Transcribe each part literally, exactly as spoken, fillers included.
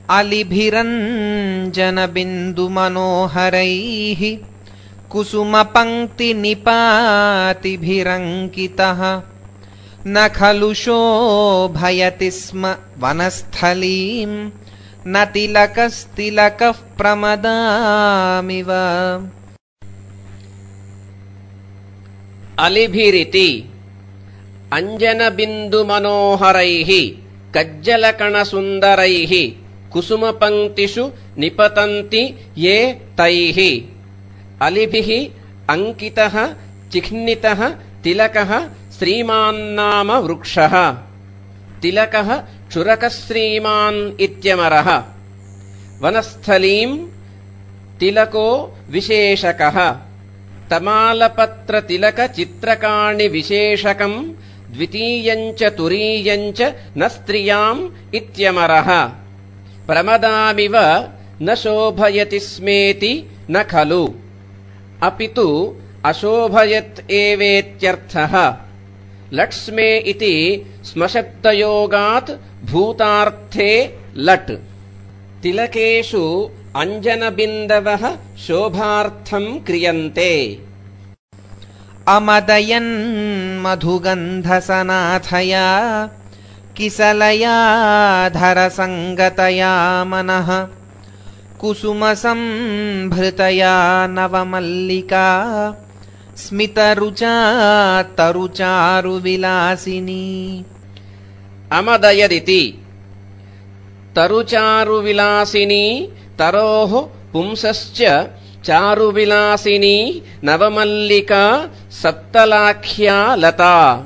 अलिभिरञ्जनबिन्दुमनोहरैः कुसुमपङ्क्तिनिपातिभिरङ्कितः न खलु शोभयति स्म वनस्थलीं न तिलकस्तिलकः प्रमदामिव। अलिभिरिति अंजनबिन्दुमनोहरैः कज्जलकणसुन्दरैः कुसुमपङ्क्तिषु निपतन्ति ये तैः। अलिभिः अंकितः चिह्नितः तिलकः श्रीमान्नाम वृक्षः। तिलकः क्षुरकश्रीमान् इत्यमरः। वनस्थलीं तिलको विशेषकः। तमालपत्रतिलकचित्रकाणि विशेषकं द्वितीयञ्च तुरीयञ्च न स्त्रियाम् इत्यमरः। प्रमदामिव न शोभयति स्मेति न खलु अपितु अशोभयत् एवेत्यर्थः। लट्स्मे इति स्मशब्दयोगात् भूतार्थे लट्। तिलकेषु अंजनबिन्दवः शोभार्थं क्रियन्ते। अमदयन् मधुगन्धसनाथया किसलया धरसङ्गतया मनः कुसुमसंभृतया नवमल्लिका स्मितरुचा तरुचारुविलासिनी। अमदयदिति तरुचारुविलासिनी तरोः पुंसश्च चारुविलासिनी नवमल्लिका सप्तलाख्या लता।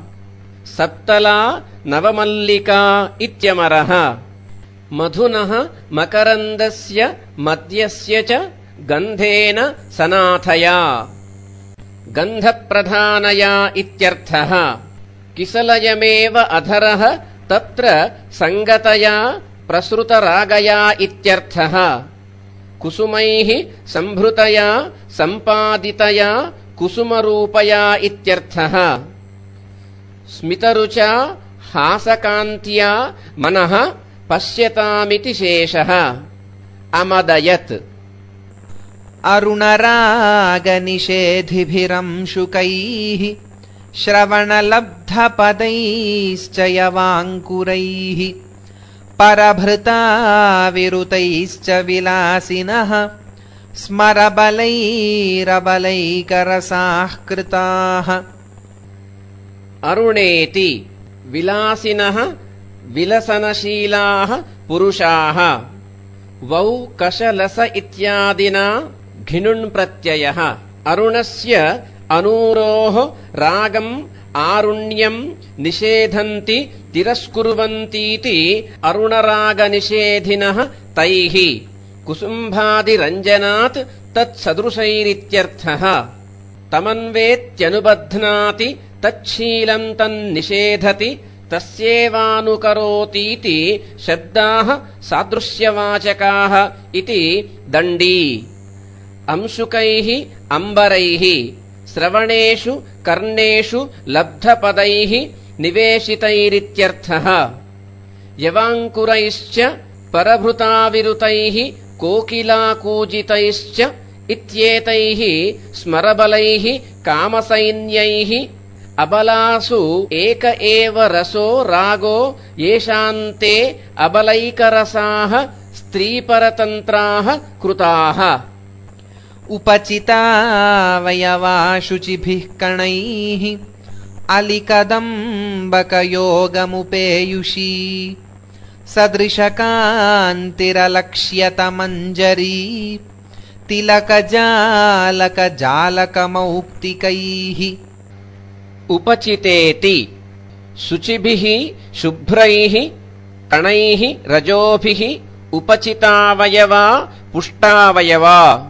सप्तला नवमल्लिका इत्यमरः। मधुनः मकरन्दस्य मद्यस्य च गन्धेन सनाथया गन्धप्रधानया इत्यर्थः। किसलयमेव अधरः तत्र संगतया प्रसृतरागया इत्यर्थः। कुसुमैः संभृतया सम्पादितया कुसुमरूपया इत्यर्थः। स्मितरुचा हासकान्त्या मनः पश्यतामिति शेषः। अमदयत् अरुणरागनिषेधिभिरंशुकैः श्रवणलब्धपदैश्च यवाङ्कुरैः परभृताविरुतैश्च विलासिनः स्मरबलैरबलैकरसाः कृताः। अरुणेति विलासिनः विलसनशीलाः पुरुषाः। वौ कशलस इत्यादिना घिनुन् प्रत्ययः। अरुणस्य अनूरोः रागम् आरुण्यम् निषेधन्ति तिरस्कुर्वन्तीति अरुणरागनिषेधिनः तैः। कुसुम्भादिरञ्जनात् तत्सदृशैरित्यर्थः। तमन्वेत्यनुबध्नाति तच्छीलम् तन्निषेधति तस्येवानुकरोतीति शब्दाः सादृश्यवाचकाः इति दण्डी। अंशुकैः अम्बरैः श्रवणेषु कर्णेषु लब्धपदैः निवेशितैरित्यर्थः। यवाङ्कुरैश्च परभृताविरुतैः कोकिलाकूजितैश्च इत्येतैः स्मरबलैः कामसैन्यैः। अबलासु एक एव रसो रागो येषान्ते अबलैकरसाः स्त्रीपरतन्त्राः कृताः। उपचितावयवा शुचिभिः कणैः अलिकदम्बकयोगमुपेयुषी सदृशकान्तिरलक्ष्यतमञ्जरी तिलकजालकजालकमौक्तिकैः। उपचितेति शुचिभिः शुभ्रैः कणैः रजोभिः उपचितावयवा पुष्टावयवा।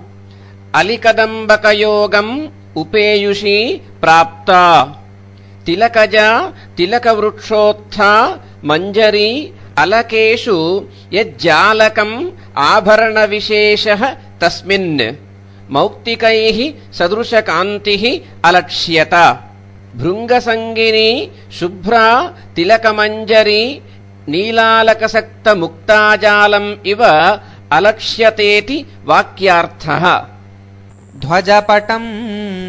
अलिकदम्बकयोगम् उपेयुषी प्राप्ता। तिलकजा तिलकवृक्षोत्था मञ्जरी अलकेषु यज्जालकम् आभरणविशेषः तस्मिन् मौक्तिकैः सदृशकान्तिः अलक्ष्यत। भृङ्गसङ्गिनी शुभ्रा तिलकमञ्जरी नीलालकसक्तमुक्ताजालम् इव अलक्ष्यतेति वाक्यार्थः। ध्वजपटं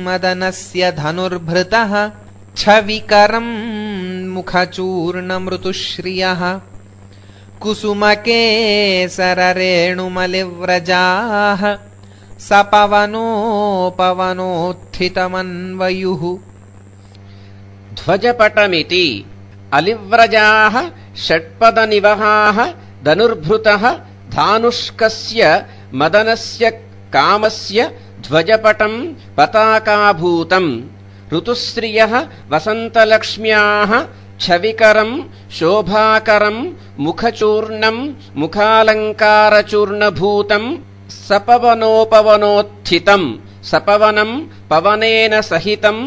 मदनस्य धनुर्भृतः छविकरं मुखचूर्णमृतुश्रियः कुसुमकेसररेणुमलिव्रजाः सपवनोपवनोत्थितमन्वयुः। ध्वजपटमिति अलिव्रजाः षट्पदनिवहाः धनुर्भृतः धानुष्कस्य मदनस्य कामस्य ध्वजपटं पताकाभूतम् ऋतुश्रियः वसन्तलक्ष्म्याः छविकरं शोभाकरं मुखचूर्णं मुखालङ्कारचूर्णभूतं सपवनोपवनोत्थितं सपवनं पवनेन सहितं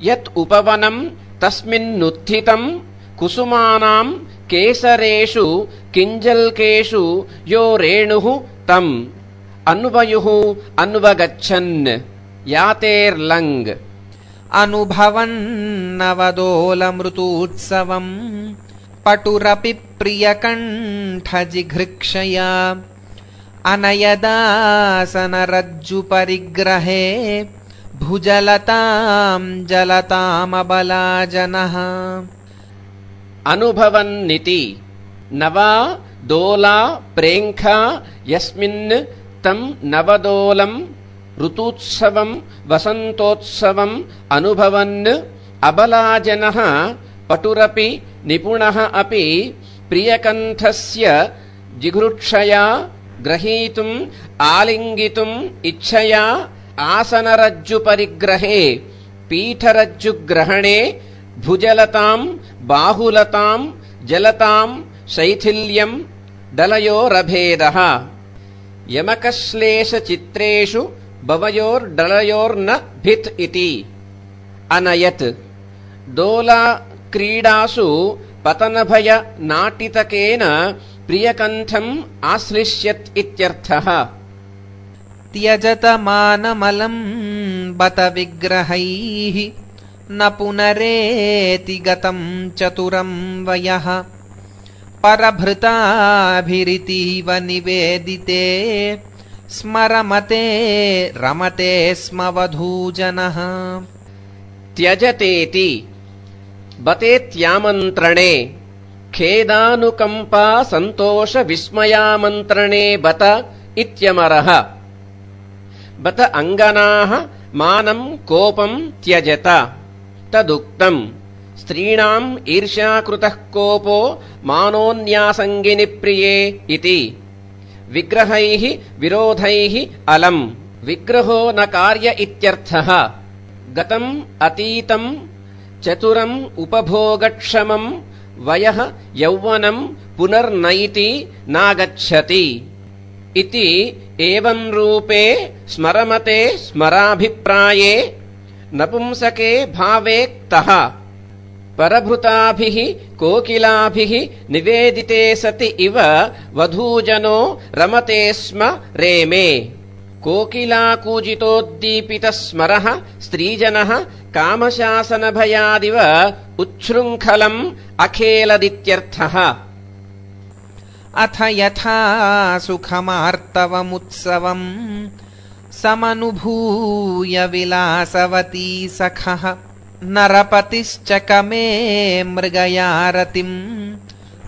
यत् उपवनं तस्मिन्नुत्थितं कुसुमानां केसरेषु किञ्जल्केषु यो रेणुः तम् अन्वयुः अन्वगच्छन् यातेर्लङ्। अनुभवन्नवदोलमृतूत्सवम् पटुरपि प्रियकण्ठजिघृक्षया अनयदासनरज्जुपरिग्रहे भुजलतां जलतामबलाजनः। अनुभवन्निति नवा दोला प्रेङ्खा यस्मिन् तं नवदोलं ऋतूत्सवं वसन्तोत्सवम् अनुभवन् अबलाजनः पटुरपि निपुणः अपि प्रियकण्ठस्य जिघृक्षया ग्रहीतुम् आलिङ्गितुम् इच्छया आसनरज्जुपरिग्रहे पीठरज्जुग्रहणे भुजलतां बाहुलतां जलतां शैथिल्यं दलयोरभेदः। यमकश्लेषचित्रेषु भवयोर्दलयोर्न भित् इति। अनयत् दोला क्रीडासु पतनभय नाटितकेन प्रियकण्ठम् आश्लिष्यत् इत्यर्थः। त्यजत मानमलं बत विग्रहैः न पुनरेति गतं चतुरं वयः परभृताभिरितीव निवेदिते स्मरमते रमते स्म वधूजनः। त्यजतेति बतेत्यामन्त्रणे खेदानुकम्पा सन्तोष विस्मयामन्त्रणे बत इत्यमरः। बत अङ्गनाः मानं कोपं त्यजत तदुक्तम्। स्त्रीणाम् ईर्ष्याकृतः कोपो मानोन्यासङ्गिनि प्रिये इति। विग्रहैः विरोधैः अलम् विग्रहो न कार्य इत्यर्थः। गतम् अतीतम् चतुरम् उपभोगक्षमम् वयः यौवनम् पुनर्नैति नागच्छति इति। एवं रूपे स्मरमते स्मराभिप्राये नपुंसके भावे क्तः परभृताभिः कोकिलाभिः निवेदिते सति इव वधूजनो रमते स्म रेमे। कोकिलाकूजितोद्दीपितः स्मरः स्त्रीजनः कामशासनभयादिव उच्छृङ्खलम् अखेलदित्यर्थः। अथ यथा सुखमार्तवमुत्सवम् समनुभूय विलासवती सखः नरपतिश्चकमे मृगयारतिम्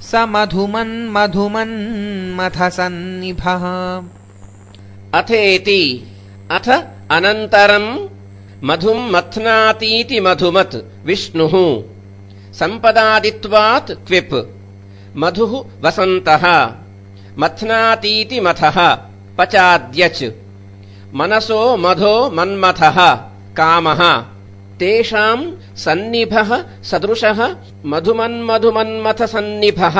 स मधुमन्मधुमन्मथसन्निभः। अथेति अथ अनन्तरम् मधुम् मथ्नातीति मधुमत् विष्णुः सम्पदादित्वात् क्विप् मधुः वसन्तः मथ्नातीति मथः पचाद्यच् मनसो मधो मन्मथः कामः तेषाम् सन्निभः सदृशः मधुमन्मधुमन्मथसन्निभः।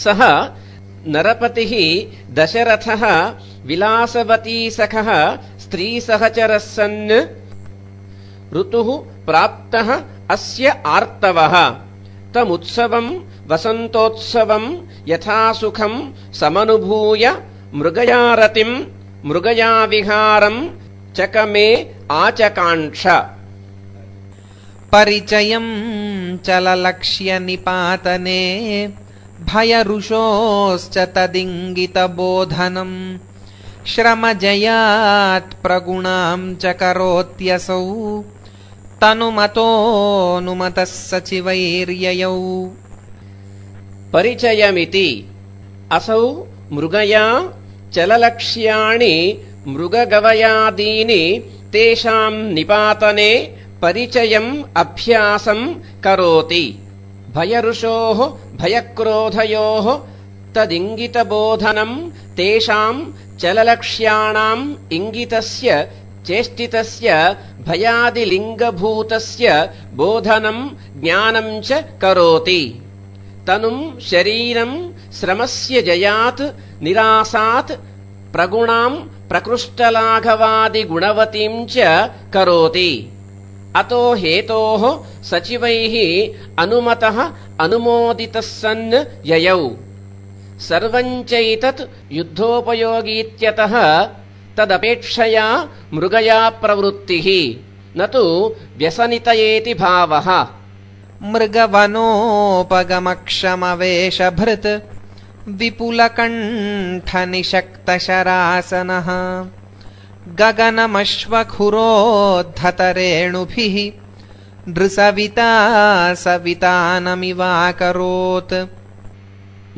सः नरपतिः दशरथः विलासवती सखः स्त्रीसहचरः सन् ऋतुः प्राप्तः अस्य आर्तवः तमुत्सवम् वसन्तोत्सवम् यथासुखम् समनुभूय मृगयारतिम् मृगयाविहारम् चकमे आचकाङ्क्ष। परिचयम् चललक्ष्य निपातने भयरुषोश्च तदिङ्गितबोधनम् श्रमजयात् प्रगुणां च करोत्यसौ तनुमतोऽनुमतः सचिवैर्ययौ। परिचयमिति असौ मृगया चललक्ष्याणि मृगगवयादीनि तेषां निपातने परिचयम् अभ्यासं करोति। भयरुषोः भयक्रोधयोः तदिङ्गितबोधनम् तेषां चललक्ष्याणाम् इङ्गितस्य चेष्टितस्य भयादिलिङ्गभूतस्य बोधनम् ज्ञानम् च करोति। तनुम् शरीरम् श्रमस्य जयात् निरासात् प्रगुणाम् प्रकृष्टलाघवादिगुणवतीम् च करोति। अतो हेतोः सचिवैः अनुमतः अनुमोदितः सन् ययौ। सर्वम् चैतत् युद्धोपयोगीत्यतः तदपेक्षया मृगया प्रवृत्तिः न तु व्यसनितयेति भावः। मृगवनोपगमक्षमवेशभृत् विपुलकण्ठनिषक्तशरासनः गगनमश्वखुरोद्धतरेणुभिः नृसविता सवितानमिवाकरोत्।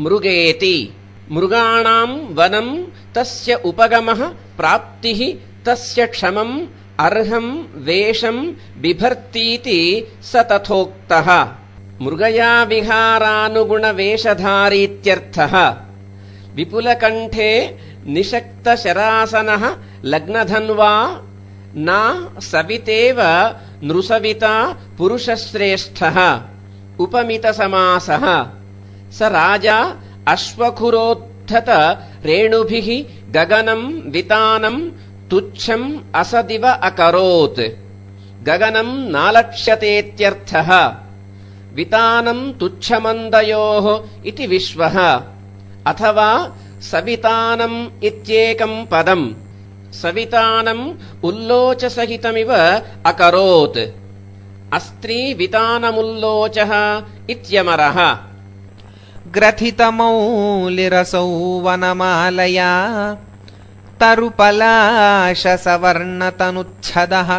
मृगेति मृगाणाम् वनम् तस्य उपगमः प्राप्तिः तस्य क्षमम् अर्हम् वेषम् बिभर्तीति स तथोक्तः। मृगया विहारानुगुणवेषधारीत्यर्थः। विपुलकण्ठे निषक्तशरासनः लग्नधन्वा न सवितेव नृसविता पुरुषश्रेष्ठः उपमितसमासः। स राजा अश्वखुरोद्धत रेणुभिः गगनम् वितानम् तुच्छम् असदिव अकरोत्। गगनम् नालक्ष्यतेत्यर्थः। वितानम् तुच्छमन्दयोः इति विश्वः अथवा सवितानम् इत्येकम् पदम्। सवितानम् उल्लोचसहितमिव अकरोत्। अस्त्री वितानमुल्लोचः इत्यमरः। ग्रथितमौलिरसौ वनमालया तरुपलाशसवर्णतनुच्छदः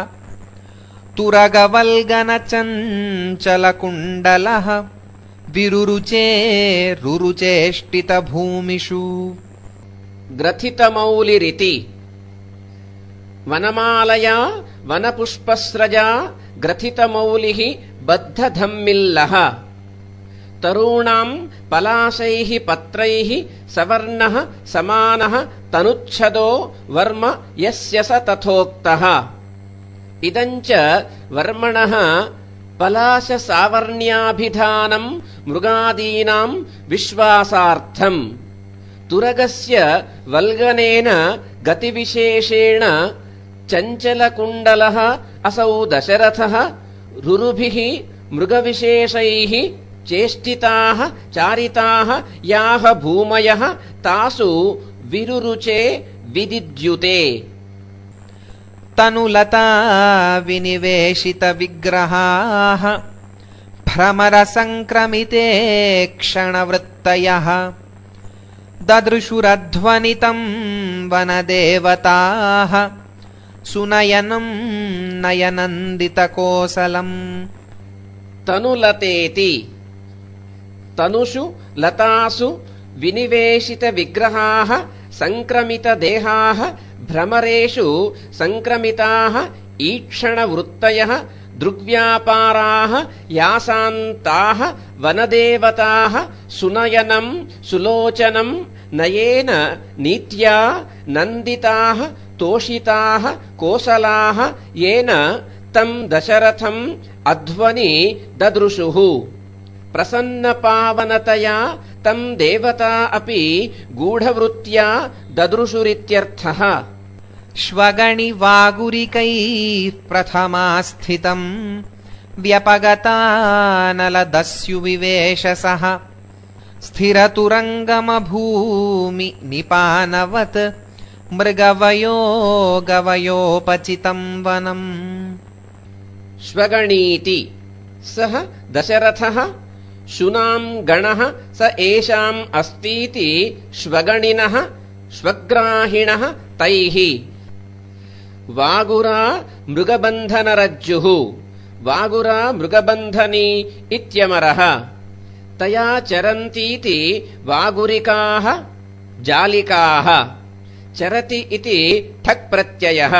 तुरगवल्गनचञ्चलकुण्डलः विरुरुचे रुरुचेष्टितभूमिषु। ग्रथितमौलिरिति वनमालया वनपुष्पस्रजा ग्रथितमौलिः बद्धधम्मिल्लः। तरूणाम् पलाशैः पत्रैः सवर्णः समानः तनुच्छदो वर्म यस्य स तथोक्तः। इदम् च वर्मणः पलाशसावर्ण्याभिधानम् मृगादीनाम् विश्वासार्थम्। तुरगस्य वल्गनेन गतिविशेषेण चञ्चलकुण्डलः असौ दशरथः रुरुभिः मृगविशेषैः चेष्टिताः चारिताः याः भूमयः तासु विरुरुचे विदिद्युते। तनुलता विनिवेशितविग्रहाः भ्रमरसङ्क्रमिते क्षणवृत्तयः ददृशुरध्वनितम् वनदेवताः सुनयनम् नयनन्दितकोसलम्। तनुलतेति तनुषु लतासु विनिवेशितविग्रहाः सङ्क्रमितदेहाः भ्रमरेषु सङ्क्रमिताः ईक्षणवृत्तयः दृग्व्यापाराः यासान्ताः वनदेवताः सुनयनम् सुलोचनम् नयेन नीत्या नन्दिताः तोषिताः कोसलाः येन तम् दशरथम् अध्वनि ददृशुः। प्रसन्नपावनतया तम् देवता अपि गूढवृत्त्या ददृशुरित्यर्थः। श्वगणिवागुरिकैः प्रथमास्थितम् व्यपगतानलदस्युविवेशसः स्थिरतुरङ्गमभूमि निपानवत् मृगवयो गवयोपचितम् वनम्। श्वगणीति सः दशरथः शुनाम् गणः स एषाम् अस्तीति श्वगणिनः श्वग्राहिणः तैः वागुरा मृगबन्धनरज्जुः वागुरा मृगबन्धनी इत्यमरः तया चरन्तीति वागुरिकाः जालिकाः चरति इति ठक् प्रत्ययः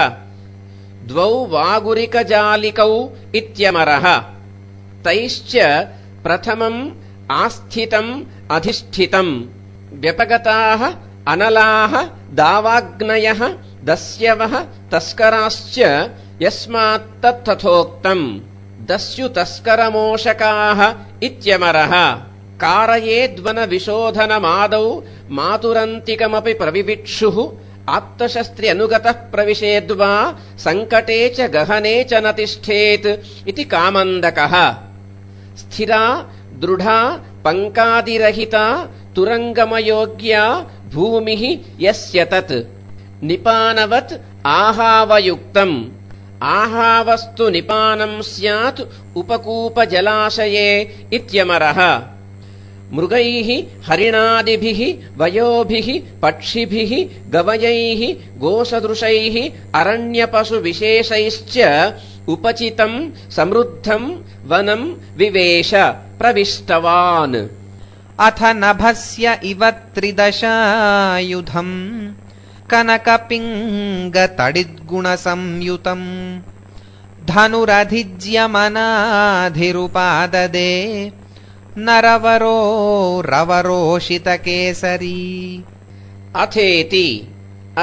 द्वौ वागुरिकजालिकौ इत्यमरः तैश्च प्रथमम् आस्थितम् अधिष्ठितम् व्यपगताः अनलाः दावाग्नयः दस्यवः तस्कराश्च यस्मात्तत्तथोक्तम् दस्युतस्करमोषकाः इत्यमरः कारयेद्वनविशोधनमादौ मातुरन्तिकमपि प्रविविक्षुः आप्तशस्त्र्यनुगतः प्रविशेद्वा सङ्कटे च गहने च न तिष्ठेत् इति कामन्दकः स्थिरा दृढा पङ्कादिरहिता तुरङ्गमयोग्या भूमिः यस्य तत् निपानवत् आहावयुक्तम् आहावस्तु निपानम् स्यात् उपकूपजलाशये इत्यमरः मृगैः हरिणादिभिः वयोभिः पक्षिभिः गवयैः गोसदृशैः अरण्यपशुविशेषैश्च उपचितम् समृद्धम् वनम् विवेश प्रविष्टवान् अथ नभस्य इव त्रिदशायुधम् कनकपिङ्गतडिद्गुणसंयुतम् धनुरधिज्यमनाधिरुपाददे नरवरो रवरोषितकेसरी अथेति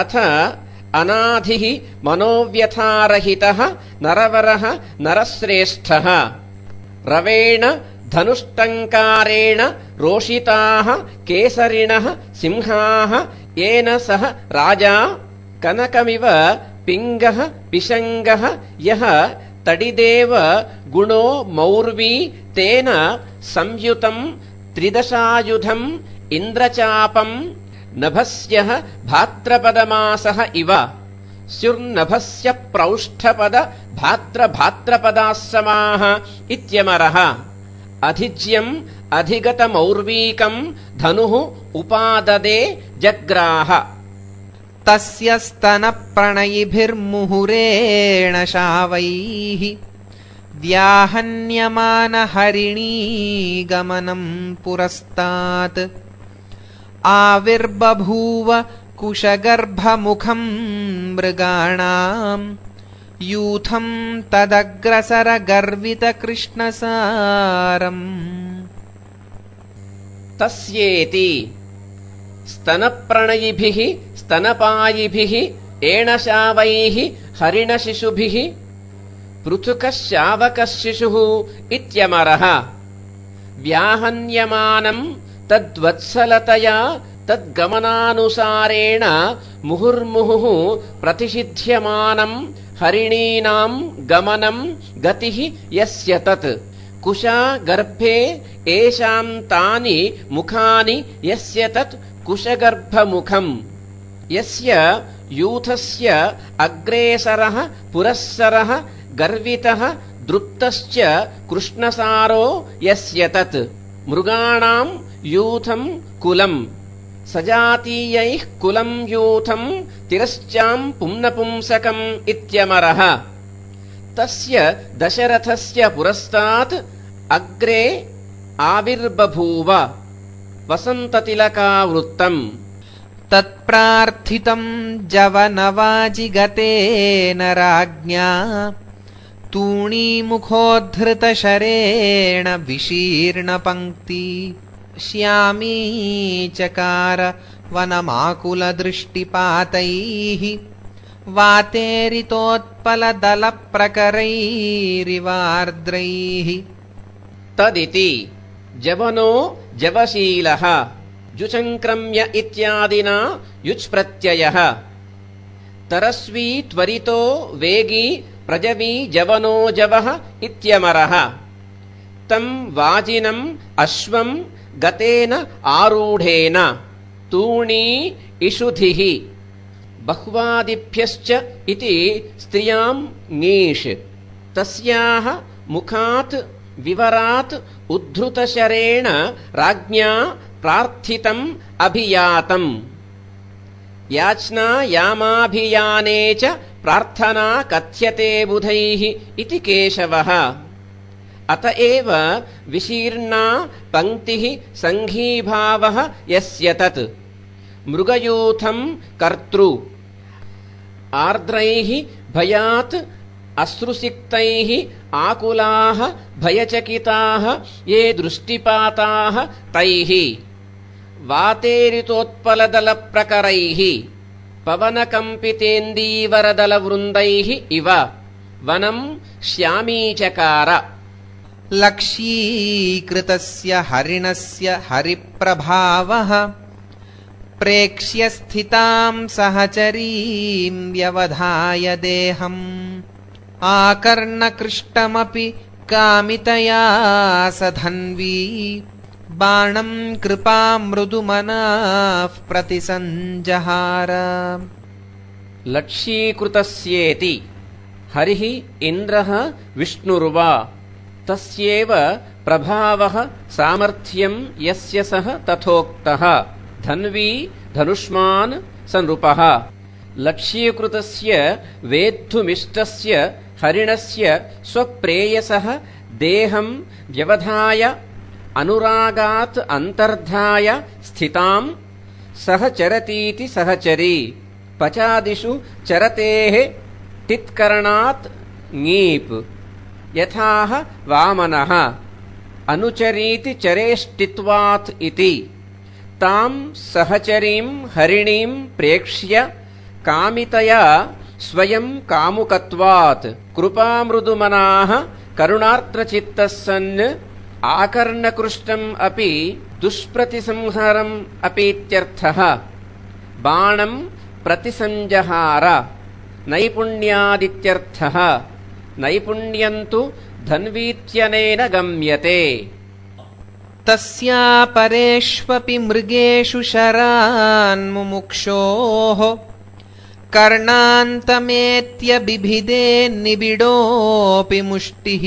अथ अनाधिः मनोव्यथारहितः नरवरः नरश्रेष्ठः रवेण धनुष्टङ्कारेण रोषिताः केसरिणः सिंहाः येन सह राजा कनकमिव पिङ्गः पिशङ्गः यः तडिदेव गुणो मौर्वी तेन संयुतम् त्रिदशायुधम् इन्द्रचापम् नभस्यः भाद्रपदमासः इव स्युर्नभस्य प्रौष्ठपद भाद्रभाद्रपदाः समाः इत्यमरः अधिज्यम् अधिगतमौर्वीकम् धनुः उपाददे जग्राह तस्य स्तनप्रणयिभिर्मुहुरेण शावैः व्याहन्यमानहरिणीगमनम् पुरस्तात् आविर्बभूव कुशगर्भमुखम् मृगाणाम् यूथम् तदग्रसरगर्वितकृष्णसारम् तस्येति स्तनप्रणयिभिः स्तनपायिभिः एणशावैः हरिणशिशुभिः पृथुकः शावकः शिशुः इत्यमरः व्याहन्यमानम् तद्वत्सलतया तद्गमनानुसारेण मुहुर्मुहुः प्रतिषिध्यमानम् हरिणीनाम् गमनम् गतिः यस्य तत् कुशा गर्भे एषाम् तानि मुखानि यस्य तत् कुशगर्भमुखम् यस्य यूथस्य अग्रेसरः पुरःसरः गर्वितः दृप्तश्च कृष्णसारो यस्य तत् मृगाणाम् यूथम् कुलम् सजातीयैः कुलम् यूथम् तिरश्चाम् पुंनपुंसकम् इत्यमरः तस्य दशरथस्य पुरस्तात् अग्रे आविर्बभूव वसन्ततिलकावृत्तम् तत्प्रार्थितम् जवनवाजिगतेन राज्ञा तूणीमुखोद्धृतशरेण विशीर्णपङ्क्ति श्यामी चकार वनमाकुलदृष्टिपातैः वातेरितोत्पलदलप्रकरैरिवार्द्रैः तदिति जवनो जवशीलः जुचङ्क्रम्य इत्यादिना युच् प्रत्ययः तरस्वी त्वरितो वेगी प्रजवी जवनो जवः इत्यमरः तम् वाजिनम् अश्वम् गतेन आरूढेन तूणी इषुधिः बह्वादिभ्यश्च इति स्त्रियाम् ङीष् तस्याः मुखात् विवरात् उद्धृतशरेण राज्ञा प्रार्थितम् अभियातम् याचना यामाभियाने च प्रार्थना कथ्यते बुधैः इति केशवः। अत एव विशीर्णा पंक्तिः संघीभावः यस्य तत् मृगयूथम् कर्तृ आर्द्रैः भयात् अश्रुसिक्तैः आकुलाः भयचकिताः ये दृष्टिपाताः तैः वातेरितोत्पलदलप्रकरैः पवनकम्पितेन्दीवरदलवृन्दैः इव वनम् श्यामीचकार। लक्ष्यीकृतस्य हरिणस्य हरिप्रभावः प्रेक्ष्य स्थिताम् सहचरीम् व्यवधाय देहम् आकर्णकृष्टमपि कामितया स धन्वी बाणम् कृपामृदुमनाः प्रतिसञ्जहार। लक्ष्यीकृतस्येति हरिः इन्द्रः विष्णुर्वा तस्येव प्रभावः सामर्थ्यम् यस्य सः तथोक्तः धन्वी धनुष्मान् स नृपः। लक्ष्यीकृतस्य वेद्धुमिष्टस्य हरिणस्य स्वप्रेयसः देहम् व्यवधाय अनुरागात् अन्तर्धाय स्थिताम् सह चरतीति सहचरी पचादिषु चरतेः टित्करणात् ङीप् यथाह वामनः अनुचरीति चरेष्टित्वात् इति ताम् सहचरीम् हरिणीम् प्रेक्ष्य कामितया स्वयं कामुकत्वात् कृपामृदुमनाः करुणार्द्रचित्तः सन् आकर्णकृष्टम् अपि दुष्प्रतिसंहरम् अपीत्यर्थः बाणम् प्रतिसञ्जहार नैपुण्यादित्यर्थः नैपुण्यन्तु धन्वीत्यनेन गम्यते। तस्यापरेष्वपि मृगेषु शरान्मुमुक्षोः कर्णान्तमेत्य बिभिदे निबिडोऽपि मुष्टिः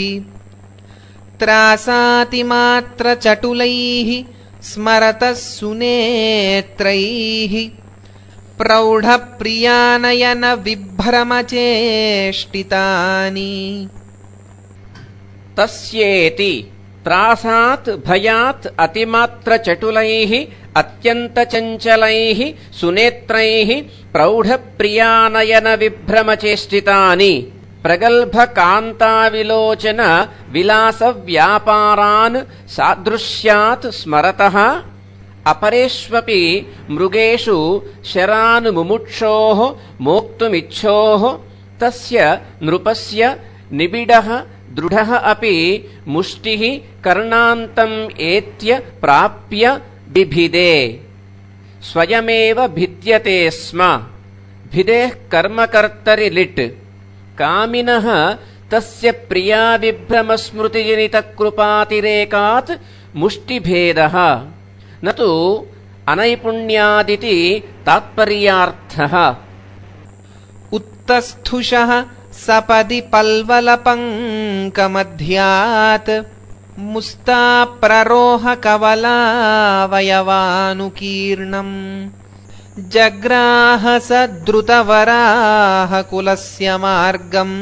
त्रासातिमात्रचटुलैः स्मरतः सुनेत्रैः प्रौढप्रियानयन विभ्रमचेष्टितानि। तस्येति त्रासात् भयात् अतिमात्रचटुलैः अत्यन्तचञ्चलैः सुनेत्रैः प्रौढप्रियानयन विभ्रमचेष्टितानि प्रगल्भकान्ताविलोचन विलासव्यापारान् सादृश्यात् स्मरतः अपरेष्वपि मृगेषु शरान् मुमुक्षोः मोक्तुमिच्छोः तस्य नृपस्य निबिडः दृढः अपि मुष्टिः कर्णान्तम् एत्य प्राप्य बिभिदे स्वयमेव भिद्यते स्म भिदेः कर्मकर्तरि लिट् कामिनः तस्य प्रिया विभ्रमस्मृतिजनितकृपातिरेकात् मुष्टिभेदः न तु अनैपुण्यादिति तात्पर्यार्थः। उत्तस्थुषः सपदि पल्वलपङ्कमध्यात् मुस्ताप्ररोह कवलावयवानुकीर्णम् जग्राह स द्रुतवराह कुलस्य मार्गम्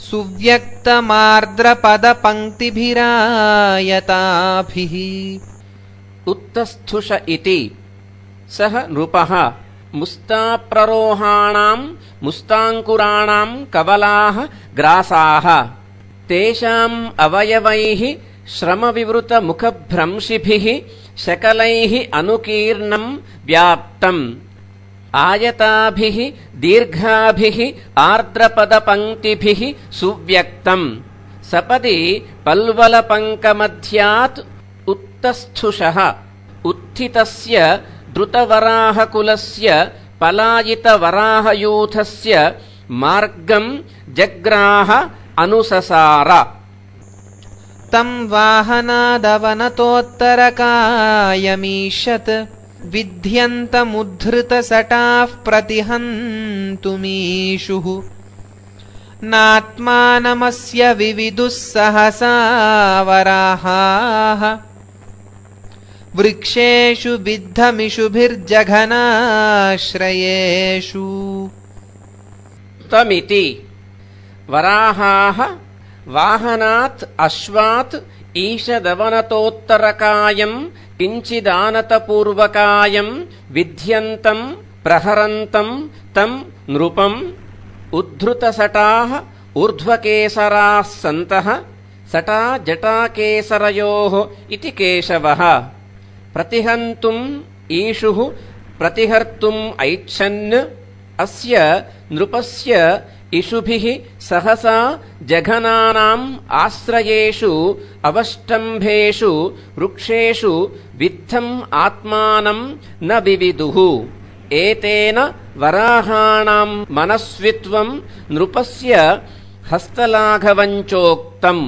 सुव्यक्तमार्द्रपदपङ्क्तिभिरायताभिः। उत्तस्थुष इति सः नृपः मुस्ताप्ररोहाणाम् मुस्ताङ्कुराणाम् कवलाः ग्रासाः तेषाम् अवयवैः श्रमविवृतमुखभ्रंशिभिः शकलैः अनुकीर्णम् व्याप्तम् आयताभिः दीर्घाभिः आर्द्रपदपङ्क्तिभिः सुव्यक्तम् सपदि पल्वलपङ्कमध्यात् उत्तस्थुषः उत्थितस्य द्रुतवराहकुलस्य पलायितवराहयूथस्य मार्गम् जग्राह अनुससार। तम् वाहनादवनतोत्तरकायमीषत् विध्यन्तमुद्धृतसटाः प्रतिहन्तुमीषुः नात्मानमस्य विविदुः सहसा वराहाः वृक्षेषु बिद्धमिषुभिर्जघनाश्रयेषु तमिति वराहाः वाहनात् अश्वात् ईशदवनतोत्तरकायम् किञ्चिदानतपूर्वकायम् विध्यन्तम् प्रहरन्तम् तम् नृपम् उद्धृतसटाः ऊर्ध्वकेसराः सन्तः सटा जटाकेसरयोः इति केशवः प्रतिहन्तुम् ईशुः प्रतिहर्तुम् ऐच्छन् अस्य नृपस्य इषुभिः सहसा जघनानाम् आश्रयेषु अवष्टम्भेषु वृक्षेषु विद्धम् आत्मानम् न विविदुः एतेन वराहाणाम् मनस्वित्वम् नृपस्य हस्तलाघवञ्चोक्तम्।